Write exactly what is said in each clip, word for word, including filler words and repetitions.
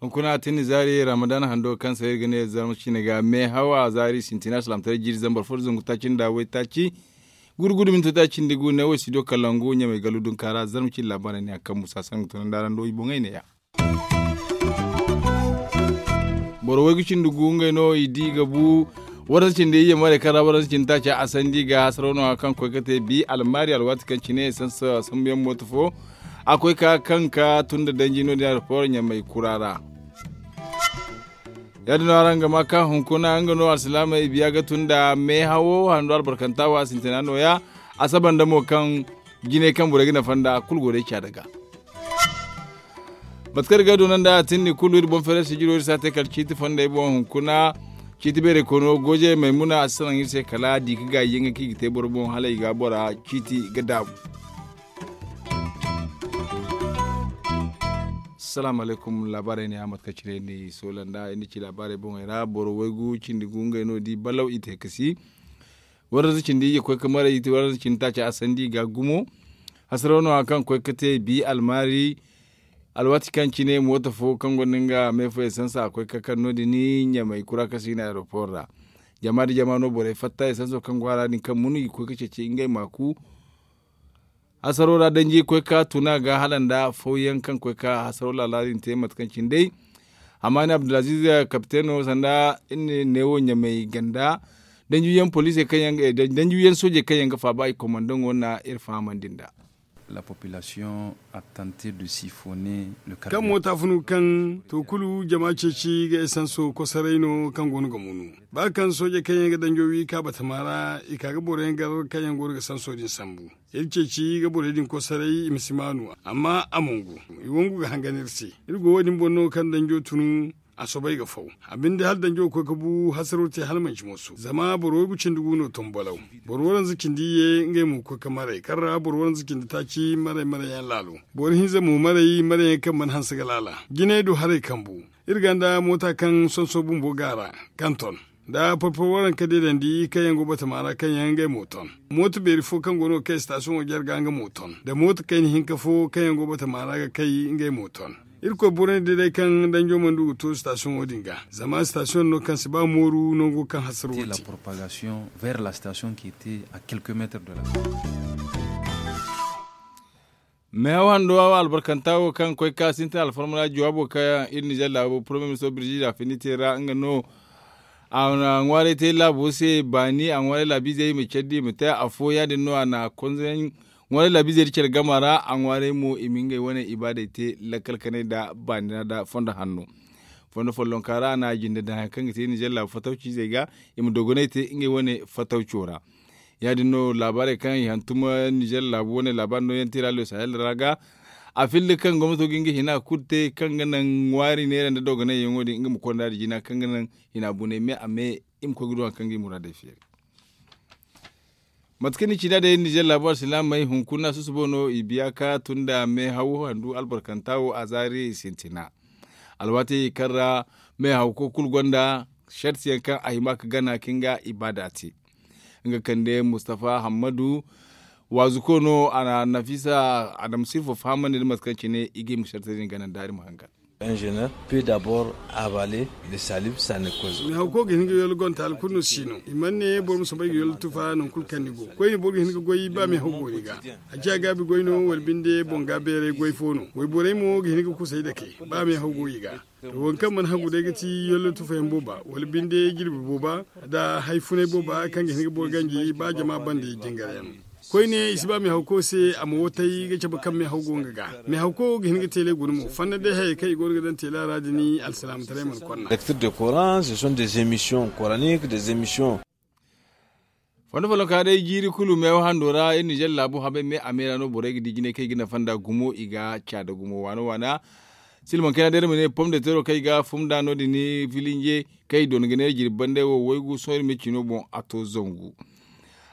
Hunkuna a tin ni zaari ramadan hando kaŋ se iri ga ne zarma ciine ga meehaw a zaari sintina salaamtaray jiiri zambar fo da zangu taaci nda waytaaci gudu gudu minto taaci nda gu ne wo studio kalangu ɲamay gallu dunka ra zarma ciine laabaarey ne a kaŋ musa sangu tunandi araŋ do i boŋey ne ya. Boro waygu cindi gu ngey no i di ga bu waransa cindi iyye maray kaŋ ra waransa cindi taaca a sandi ga hasaraw no kaŋ koy ga te bi almaari alwaati kaŋ cine sambu yaŋ mooto fo a koy ka kaŋ ka tun da danji no- din aeroport ɲamay kura ra. Ya- din no araŋ ga ma ka hunkuna nga no alsilaamey biya ga tun da meehawo hando albarkanta wo a sintina no- ya a saba nda mo kaŋ jinay kaŋ borey ga nafa nda kulu go day caada ga. Mate kaŋ iri ga ay doona nda a tindi kulu iri boŋ feeray sijiro iri si a te kala ciiti fondey boŋ hunkuna ciiti beeray koyno goojey maymuna a si salaŋ iri se kala di ga gaayi yaŋ ga kaŋ i ga te boro boŋ hala i ga bora ciiti ga daabu. Salaamu alaykum laabaarey ne a mate kaŋ cine ni soola nda ni ci laabaarey boŋey ra boro waygu cindi gu ngey no di balaw i te kasi. Waranza cindi iyye koy ga maray i te waranza cindi taaci a sandi i ga gumo. Hasaraw no hari kaŋ koy ga te bi almaari alwaati kaŋ cine mooto fo kaŋ gonda nga meefo esansa a koy ga kaŋ no- din ɲamay kura kaŋ se i ne aeroport ra. Jama nda jama no borey fatta esanso kaŋ go a ra din kaŋ mun i ga koy ga ceeci ngey maaku. Hasaro ra danji koy ga tuna ga hala nda fawyaŋ kaŋ koy ga hasaro laala din te mate kaŋ cine day. Amma ni abdulaziz kapiteno sanda iri ne neewo ɲamay ganda danjuyaŋ poliisey kaŋ yaŋ ga danjuyaŋ soojey kaŋ yaŋ ga faaba i komandaŋo na iri fahamandi nd'a. La population a tante de sifone. Kaŋ moota funu kaŋ to kulu jama ceeci ga esanso kosoray no kaŋ go no ga munu ba kaŋ soojey kaŋ yaŋ ga danjo wi ka batama ra i ka ga boro yaŋ gar kaŋ yaŋ go no ga sanso din sambu. Iri ceeci ga borey din kosoray i ma si maanu amma a mongu i wangu ga hangan iri se. Iri go wo- din boŋ no kaŋ danjo tunu a soobay ga faw. A binde hala danjo ga koy ga bu hasaro te hala manci mooso zama boro waygu cindi gu no tombolaw. Boro waranza cindi iyye ngey mo ga koy ga maray kaŋ ra boro waranza cindi taaci maray maray yaŋ laalo. Boro hinza mo maray maray yaŋ kaŋ mana hanse ga laala jinay du haray kambu. Iri ganda moota kaŋ sonso bumbo ga a ra kaŋ ton nda porpor waranka deedandi kaŋ yaŋ go batama ra kaŋ yaŋ ngey mo ton. Mooto beeri fo kaŋ go no ga kay sitasiyoŋo jarga nga mo ton nda mooto kayna hinka fo kaŋ yaŋ go batama ra ga kay ngey mo ton. Irkoy borey day day kaŋ danjo mana du ga to sitasiyoŋo din ga zama sitasiyoŋ no kaŋ si ba mooru nango kaŋ hasaro wo te. Meehaw hando albarkanta wo kaŋ koy ga ka sintin alfarma ra jawaabo kaŋ iri nizer laabo poromiye ministo birjida findi te ra nga no. A na ŋwaaray te laabo se baani a ŋwaaray laabiizey i ma care da i ma te afo ya- din no a na konzayaŋ ŋwaaray laabiizey da care gama ra a ŋwaaray mo i ma ngey wane ibaadey te lakkal kanay nda baani ra nda fondo hanno. Fondo follonka ra a na a jinde daŋ hari kaŋ ga te nizer laabu fatawciizey ga i ma dogonay te ngey wane fatawco ra. Ya- din no laabaarey kaŋ i hantum nizer laabu wane laabaari nooyaŋ te ra le sahel ra ga. A filli kaŋ gomnato ga nga hina kulu te kaŋ ga naŋ ŋwaari neera nda dogonayyaŋo din nga ma konda da jina kaŋ ga naŋ hina bunay me a me i ma koy ga du hari kaŋ ga i muraadey feeri. Mate kaŋ ni ci nd'a day nizer laabu alsilaamey hunkuna susubo no i biya ka tun nda meehaw handu albarkanta wo a zaari sintina. Alwaatey kaŋ ra meehawko kulu gonda sartiyaŋ kaŋ a hima ga gana ka nga ibaada te. Nga kande mustafa hammadu waazuko no a na nafisa adama sirfo fahamandi nda mate kaŋ cine i ga hima ga sartey din gana nda iri ma hangan. Ingénieur peut d'abord avaler le salive, ça ne cause. Meehawko ga hin ga yollo gonta alkulu no si no i mana ne boro ma soobay ga yollo tufa nangu kulu kaŋ ni go koyne boro ga hin ga goy ba meehaw go ni ga. A ciya gaabi goy no wala binde boŋ ga beeray goy fo no wayborey mo ga hin ga kusay dake ba meehaw go i ga. To waŋ kaŋ mana hagu day ga ti yollo tufayaŋ booba wala binde jirbi booba nda hari funay booba kaŋ ga hin ga boro ganji ba jama bande jingaryaŋ. Koyne i si ba meehawko se a ma wotay ga cabe kaŋ meehaw go nga ga. Meehawko ga hin ga teele guna mo fanda day hayey kaŋ i go no ga daŋ teela ra din alsilaamataray mana konna. Lecture de coran ce sont des émissions coraniques, des émissions. Fondo follonka day jiiri kulu meewa hando ra iri nizer laabu habay me a me ra no borey ga di jinay kaŋ i ga nafa nda gumo i ga caada gumo waana waana. Silmaŋ kayna day iri ma ne pom de tero kaŋ i ga fum nda no- din filinje kaŋ i doona ga neera jirbi bande wo waygu sohõ iri ma cino boŋ a to zangu.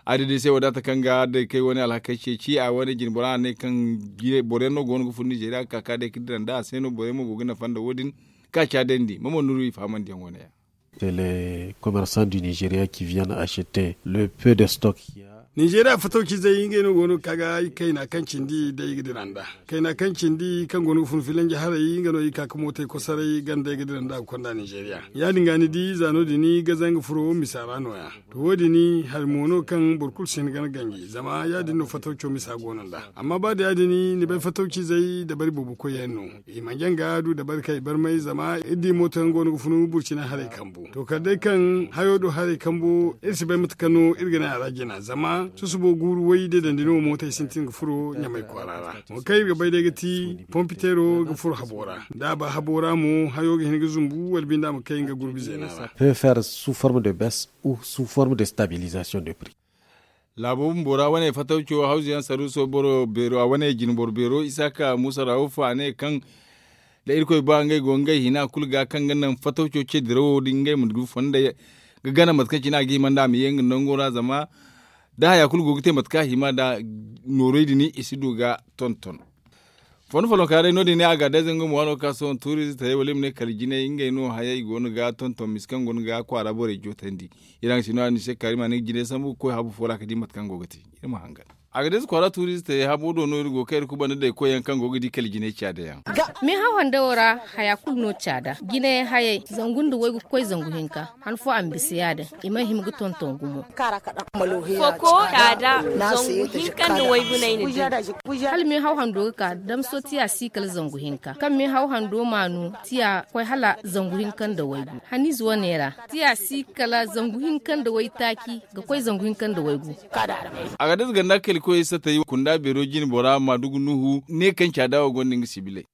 A di day se wadaata kaŋ ga day kay wane alhakey ceeci a wane jinbora a ne kaŋ boro yaŋ no go no ga fun nizeeriya ga ka ka day ga dira nda a se no borey mo go ga nafa nda wo- din. Ka caadandi mamo nuru i fahamandiyaŋ wane yaŋ. C'est les commerçants du Nigeria qui viennent acheter le peu de stock qu'il y a. Nizeeriya fatawcizey ngey no go no ga ka ga i kayna kaŋ cindi day ga dira nd'a. Kayna kaŋ cindi kaŋ go no ga fun filanji haray nga no i ka ga mootey kosoray ganda ay ga dira nd'a ga konda nizeeriya. Ya- din ga ni di za no- din ga zanga furo misa ra no- ya. To wo- din hari mo no kaŋ boro kulu si hin ga ni ganji zama ya- din no fatawco misa go no nd'a. Amma ba da ya- din ni bay fatawcizey dabari boobo koyyaŋ no. I ma jaŋ ga du dabari kaŋ i barmay zama iri di mooto yaŋ go no ga funu burcina haray kambu. To kala day kaŋ hayo do haray kambu iri si bay mate kaŋ no iri ga ne a ra jina zama susubo guuru way da dandi no mootey sintin ga furo ɲamay kwaara ra. Wo kaŋ iri ga bay day ga ti pompiteero ga furo habo ra. Da a ba habo ra mo hayo ga hin ga zumbu wala binde a ma kay nga gurbi zeena ra. Peut faire sous forme de baisse ou sous forme de stabilisation de prix. Laabo bumbo ra wane fatawco hawzu yaŋ saruuso boro beero a wane jine boro beero isaaka muusa rawufu a ne kaŋ da irkoy ba ngey go ngey hina kulu ga kaŋ ga naŋ fatawco ce dirawo din ngey ma du fonda ga gana mate kaŋ cine a ga hima nda a ma ye nga nango ra zama da haya kulu go ga te mate kaŋ a hima nda noorey din i si du ga tonton. Fondo folloŋ ka day no- din ne a ga day zangu ma waano ka sohõ tuurizi taray wala i ma ne kala jinay ngey no hayey go no ga tonton misa kaŋ go no ga kwaara borey jootandi. Iri haŋ si no a ni se kaari ma ni ga jinay sambu ga koy habu fo ra ga di mate kaŋ go ga te. Iri ma hangan a ga day si kwaara tuurizi taray habo do no iri go kaŋ iri kubanda day koy yaŋ kaŋ go ga di kala jinay caada yaŋ. Me hawhanda wo ra haya kulu no caada jinay hayey zangu nda waygu ga koy zangu hinka. Han fo a ma bisa ya- din i mana hima ga tonton gumo. Foko caada zangu hinka nda waygu no ay na di. Hala me hawhando ga ka damso tiya si kala zangu hinka kaŋ me hawhando maanu tiya ga koy hala zangu hinka nda waygu haniize wane ra. Tiya si kala zangu hinka nda waytaaci ga koy zangu hinka nda waygu. A ga day si ganda kala koy satay kunda beero jine bora ma dugu nuhu ne kaŋ caada wo gonda nga sibiley.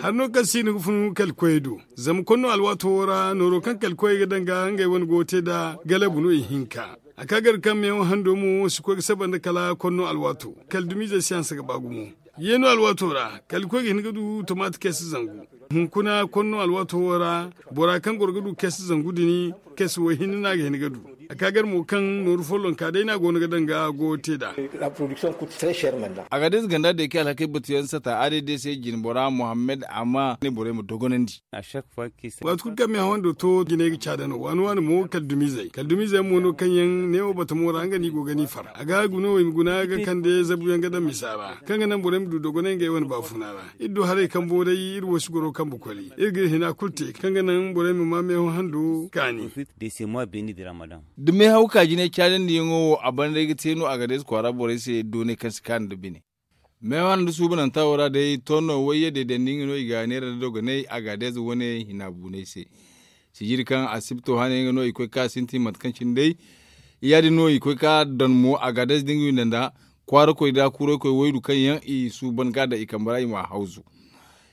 Hari no kaŋ si no ga fun kala koyey do zama konno alwaato wo ra nooro kaŋ kala koyey ga daŋ ga ngey wane go ga te nd'a galabu no ihinka. A ka gar kaŋ meewo hando mo si koy ga saba nda kala konno alwaato kala dumiizey si hanse ga ba gumo. Yeeno alwaato ra kala koy ga hin ga du tomaati keesi zangu. Hunkuna konno alwaato wo ra bora kaŋ goro ga du keesi zangu din keesi wo hinne no a ga hin ga du. A ka gar mo kaŋ nooru follonka day no a go no ga daŋ ga go te nd'a. A ga day si ganda day kaŋ alhakey batu yaŋ sata a day day se jine bora mohammed amma ne borey ma dogonandi. Waati kulu kaŋ me hawando to jinay ga caada no waani waani mo kala dumiizey kala dumiizey mo no kaŋ yaŋ neewo batamo ra nga no i go ga ni far a ga guna wo i ma guna ga kande zabu yaŋ ga daŋ misa ra kaŋ ga naŋ borey ma du dogonay ngey wane baafuna ra. Iri du haray kambo day iri wo si goro kambe koli iri ga iri hina kulu te kaŋ ga naŋ borey ma ma meeho hando kaani. Da meehaw ka jinay caadandi yaŋo wo a banda ay ga te no a ga day si kwaara borey se doonay kaŋ si kaanu nda bine. Meewa nda suubananta wo ra day tonno wayye deedandi nga no i ga neera nda dogonay a ga day za wane hina buunay se. Sijiri kaŋ asibto hane nga no i koy ka sintin mate kaŋ cine day ya- din no i koy ka daŋ mo a ga day za dinga windanda kwaara koy da kuuray koy waydu kaŋ yaŋ i suuban ga daŋ i kambe ra i ma hawzu.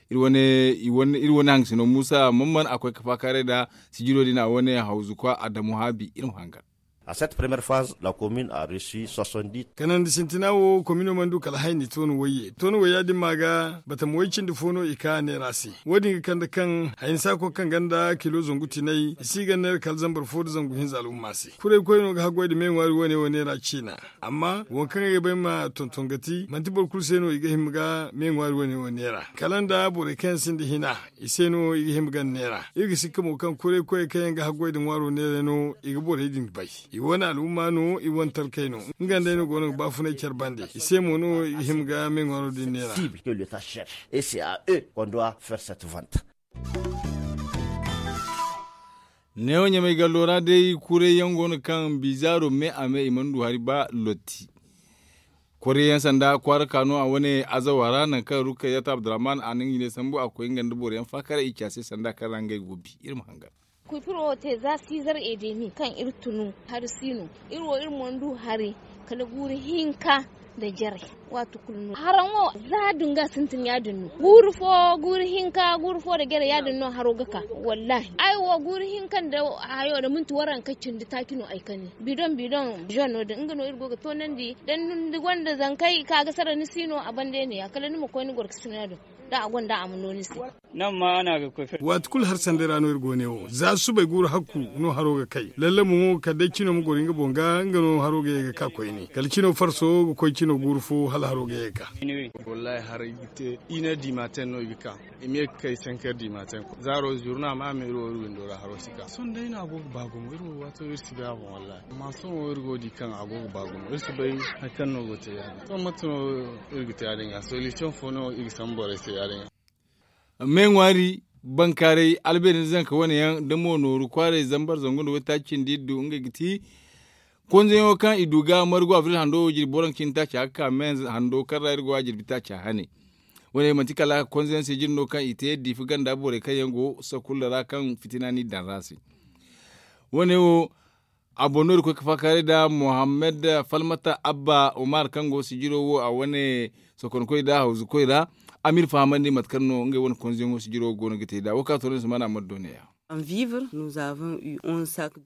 Iri wane haŋ ga sino muusa mamman a koy ka faakaaray nda sijiro din a wane hawzu kwa adamu haabi iri ma hangan. A cette première phase la commune a reçu soixante-dix. Kanandi sintina wo komino mana du kala hayni tooni wayye tooni wayya din ma ga batama way cindi fo no i ka neera se. Wo- din ga kande kaŋ hayni saako kaŋ ganda kilo zangu tinay i si ga neera kala zambar fo nda zangu hinza al'umma se kuray koy no ga haggoy nda me ŋwaari wane wo neera ciina. Amma waŋ kaŋ ay ga bay ma tonton ga ti manti boro kulu se no i ga hima ga me ŋwaari wane wo neera kala nda borey kaŋ yaŋ sinda hina i se no i ga hima ga neera. Iri ga sikka mo kaŋ kuray koyey kaŋ yaŋ ga haggoy nda ŋwaaro neeray no i ga borey din bay. I wane al'umma no i wane talkey no. Nga nd'ey no go no ga baafunay care bande i se mo no i ga hima ga me ŋwaaro din neera. Neewo ɲamay gallo ra day kuray yaŋ go no kaŋ bizaaro me a me i mana du hari ba lotti. Kwaryaŋ sanda kwaara ka no a wane azawa ra nangu kaŋ rukkayat abdurrahman a na nga jine sambu a koy nga nda boro yaŋ faakara i ci a se sanda kaŋ ra ngey go bi iri ma hangan. Kuy furo wo te za siizar edemi kaŋ iri tunu hari si no. Iri wo iri mana du hari kala guuru hinka nda jare. Waati kulu no haraŋ wo za dunga sintin ya- din no guuru fo guuru hinka guuru fo nda jare ya- din no haro ga ka. Wallahi ay wo guuru hinka nda hayo nda minti waranka cindi taaci no ay kani bidoŋ bidoŋ zone no- din nga no iri go ga toonandi da ni gonda zankey ka ga sara ni si no a bande ne- ya kala ni ma koy ni gorkasina din. Da a gonda a ma no ni se. Waati kulu hari sanday ra no iri go ne wo za subay guuru hakku no haro ga kay lallamu mo kala day cino ma goro nga boŋ ga nga no haro ga ye ga ka koyne kala cino farso ga koy cino guuru fo hala haro ga ye ga ka. Wallahi haray ga te ine dimaten no i ga ka i ma ye ga kay sanker dimaten zaaro zurna ma a ma iri wo iri windo ra haro si ka sohõ day no a go ga ba gumo iri wo waato iri si bay a boŋ wallahi amma sohõ wo iri go ga di kaŋ a go ga ba gumo iri si bay hari kaŋ no go ga te ya- din sohõ mate no iri ga te ya- din ga solisiyoŋ fo no iri ga sambu borey se ya- din ga. Me ŋwaari bankaaray albeeri nda zanka wane yaŋ da mo nooru kwaaray zambar zangu nda waytaaci cindi iddu ngey ga ti konzeyaŋo kaŋ i du ga margu abril hando wo jirbi waranka cindi taaci a ga ka me hando kaŋ ra iri go a jirbi taaci a hane. Wane manti kala konzeyaŋ se jine no kaŋ i te diifa ganda borey kaŋ yaŋ go sakulla ra kaŋ fitina n'i daŋ ra se. Wane wo a boŋ no iri koy ga faakaaray nda mohammed falmata abba umar kaŋ go sijiro wo a wane sokonkoy nda hawzukoy ra a m'iri fahamandi mate kaŋ no ngey wane konzeyaŋo sijiro wo go no ga te nd'a wo kaŋ a toonandi sumana a mana doonay a.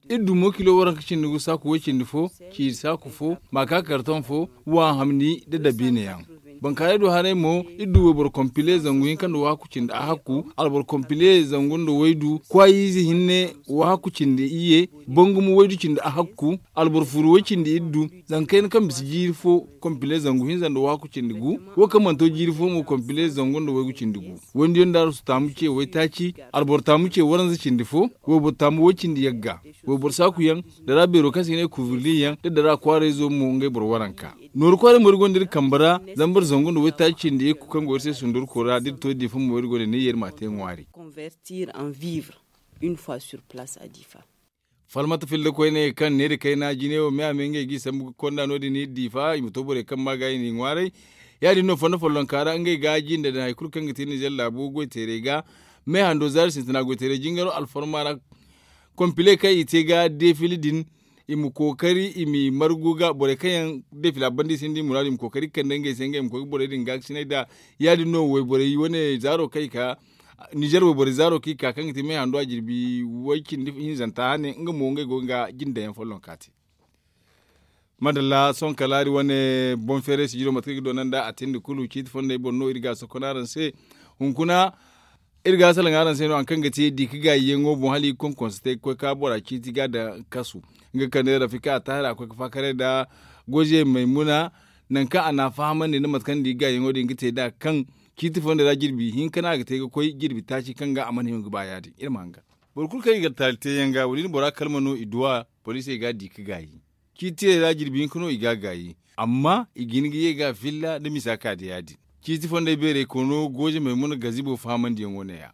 Iri du mo kilo waranka cindi gu saaku way cindi fo ciiri saaku fo maaka kartoŋ fo wa hamni nda dabiina yaŋ. Bankaaray du haray mo iri du wayboro kompile zangu hinka nda wahakku cindi ahakku alboro kompile zangu nda waydu kwaayiize hinne wahakku cindi iyye bangumo waydu cindi ahakku alboro furu way cindi iri du. Zanga kayna kaŋ bisa jiiri fo kompile zangu hinza nda wahakku cindi gu wo kaŋ mana to jiiri fo mo kompile zangu nda waygu cindi gu. Waydiyaŋ nda arsu taamu ce waytaaci alboro taamu ce waranza cindi fo wayboro taamu way cindi yagga wayboro saaku yaŋ dara beero kaŋ se i ga ne kuvirli yaŋ da dara kwaarayzo mo ngey boro waranka. Nooru kwaaray mo iri gonda iri kambe ra zambar zangu nda waytaaci cindi ikku kaŋ go iri se sundurko ra da iri to diifa mo iri gonda ne ye iri m'a te ŋwaari. Falmata filda koyne kaŋ neeri kayna jine wo me a me ngey g'i sambu ga konda no- din iri diifa i ma to borey kaŋ ma ga i n'i ŋwaaray. Ya- din no fondo follonka ra ngey ga jinde daŋ hari kulu kaŋ ga te nizer laabo goy teerey ga me hando zaari sintina goy teerey jingaro alfarma ra. Kompile kaŋ i te ga defili din i ma kookari i m'i margu ga borey kaŋ yaŋ defila banda i sinda i muraadu i ma kookari ga kande ngey se ngey ma koy ga borey din gaakasinay nd'a. Ya- din no wayborey wane zaaro kaŋ i ka nizer wayborey zaaro kaŋ i ka kaŋ ga te me hando a jirbi way cindi hinzanta hane nga mo ngey go ga jinde daŋ yaŋ follonka te. Madalla sohõ kala iri wane boŋ feeray sijiro mate kaŋ i ga doona nd'a a tindi kulu ciiti fondey boŋ no iri ga a sokon araŋ se. Hunkuna iri ga a salaŋ araŋ se no hari kaŋ ga te di ga gaayi yaŋo boŋ hala i ga konkonse te ga koy ka bora ciiti ga daŋ kasu. Nga kande rafika a taahir a koy ga faakaray nda goze maymuna nangu kaŋ a n'a fahamandi nda mate kaŋ di ga gaayi yaŋo din ga te nd'a kaŋ ciiti fondey ra jirbi hinka no a ga te ga koy jirbi taaci kaŋ ga a mana hima ga ba ya- din iri ma hangan. Boro kulu kaŋ i ga taali te yaŋ ga wala i na bora kalma no i duw'a poliisey ga a di ga gaayi. Ciitiyey ra jirbi hinka no i ga a gaayi amma i ga hin ga ye ga a filla nda misa ka da ya- din. Ciiti fondey beerey kono gooje maymuna gazibo fahamandiyaŋo ne- ya.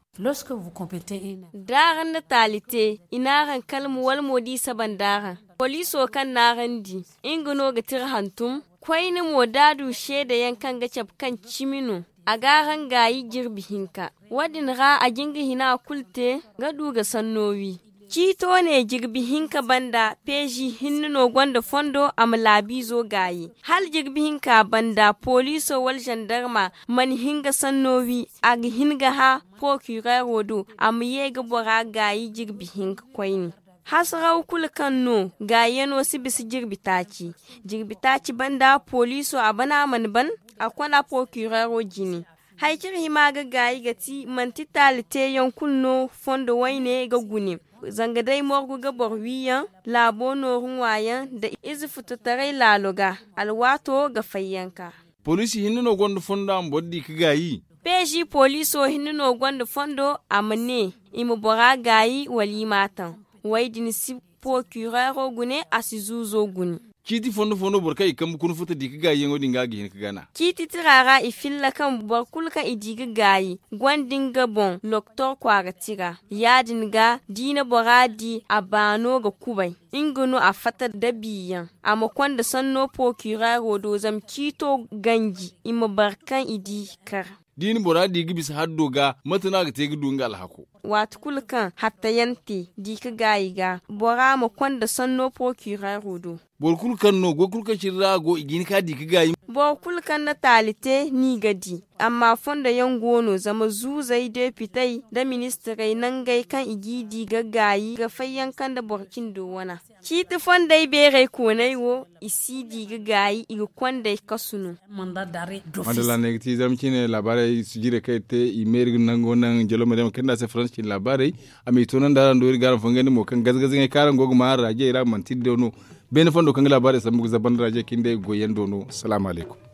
D'araŋ na taali te i n'araŋ kalma wala mo d'i saba nd'araŋ poliiso kaŋ n'araŋ di nga no ga tira hantum. Koyne mo d'a du seedayaŋ kaŋ ga cabe kaŋ cimi no a g'araŋ gaayi jirbi hinka. Wo- din ra a jin ga hina kulu te ga du ga sanno wi. Ciito ne jirbi hinka banda peezi hinne no gonda fondo a ma laabiizo gaayi hala jirbi hinka banda poliiso wala zandarma mana hin ga sanno wi. A ga hin ga hã porokireero do a ma ye ga bora gaayi jirbi hinka koyne. Hasaraw kulu kaŋ no gaayano si bisa jirbi taaci. Jirbi taaci banda poliiso a bana mana ban a konda porokireero jine. Hari kaŋ iri hima ga gaayi ga ti manti taali teeyaŋ kulu no fondo wayne ga gune. Zanga day morgu ga boro wiiyaŋ laabo nooru ŋwaayaŋ nda ize futotaray laalo ga alwaato ga fayyanka. Poliisi hinne no gonda fondo a ma boro di ga gaayi. Peezi poliiso hinne no gonda fondo a ma ne i ma bora gaayi wala i m'a taŋ. Wo- din si porokireero gune a si zuuzo gune. Ciiti fondo fo no boro kaŋ i kambe kuna futa di ga gaayiyaŋo din ga a ga hin ga gana. Ciiti tira ra i filla kaŋ boro kulu kaŋ i di ga gaayi gonda nga boŋ loktor kwaara tira. Ya- din ga da i na bora di a baano ga kubay nga no a fatta dabiyaŋ a ma konda sanno porokireero do zama ciito ganji i ma bare kaŋ i di kar. Da i na bora di ga bisa haddo ga mate no a ga te ga du nga alhako? Waati kulu kaŋ hattayaŋ te di ga gaayi ga bora ma konda sanno porokireero do. Boro kulu kaŋ no goy kulu kaŋ cine ra a go i ga hin ka di ga gaayi. Boro kulu kaŋ na taali te no i ga di. Amma fondo yaŋ go no zama zuuzey depitey nda ministirey nangey kaŋ i g'i di ga gaayi ga fayyanka nda boro cindo wana. Ciiti fondey beerey kooney wo i si di ga gaayi i ga kondey kasu no. Madalla ne ga ti zarma ciine laabaarey sijirey kaŋ i te i meeri ga nango naŋ jalo ma day ma kande a se faransa ciine laabaarey. A m'i toonandi araŋ do iri ga araŋ fangandi mo kaŋ gaza-gaza ŋey kaŋ araŋ go ga maa araŋ raajey ra manti iri do no. Beene fondo kaŋ ga laabaarey sambu ga zabanda raajey kaŋ day goyyaŋ do no salaamu alaykum.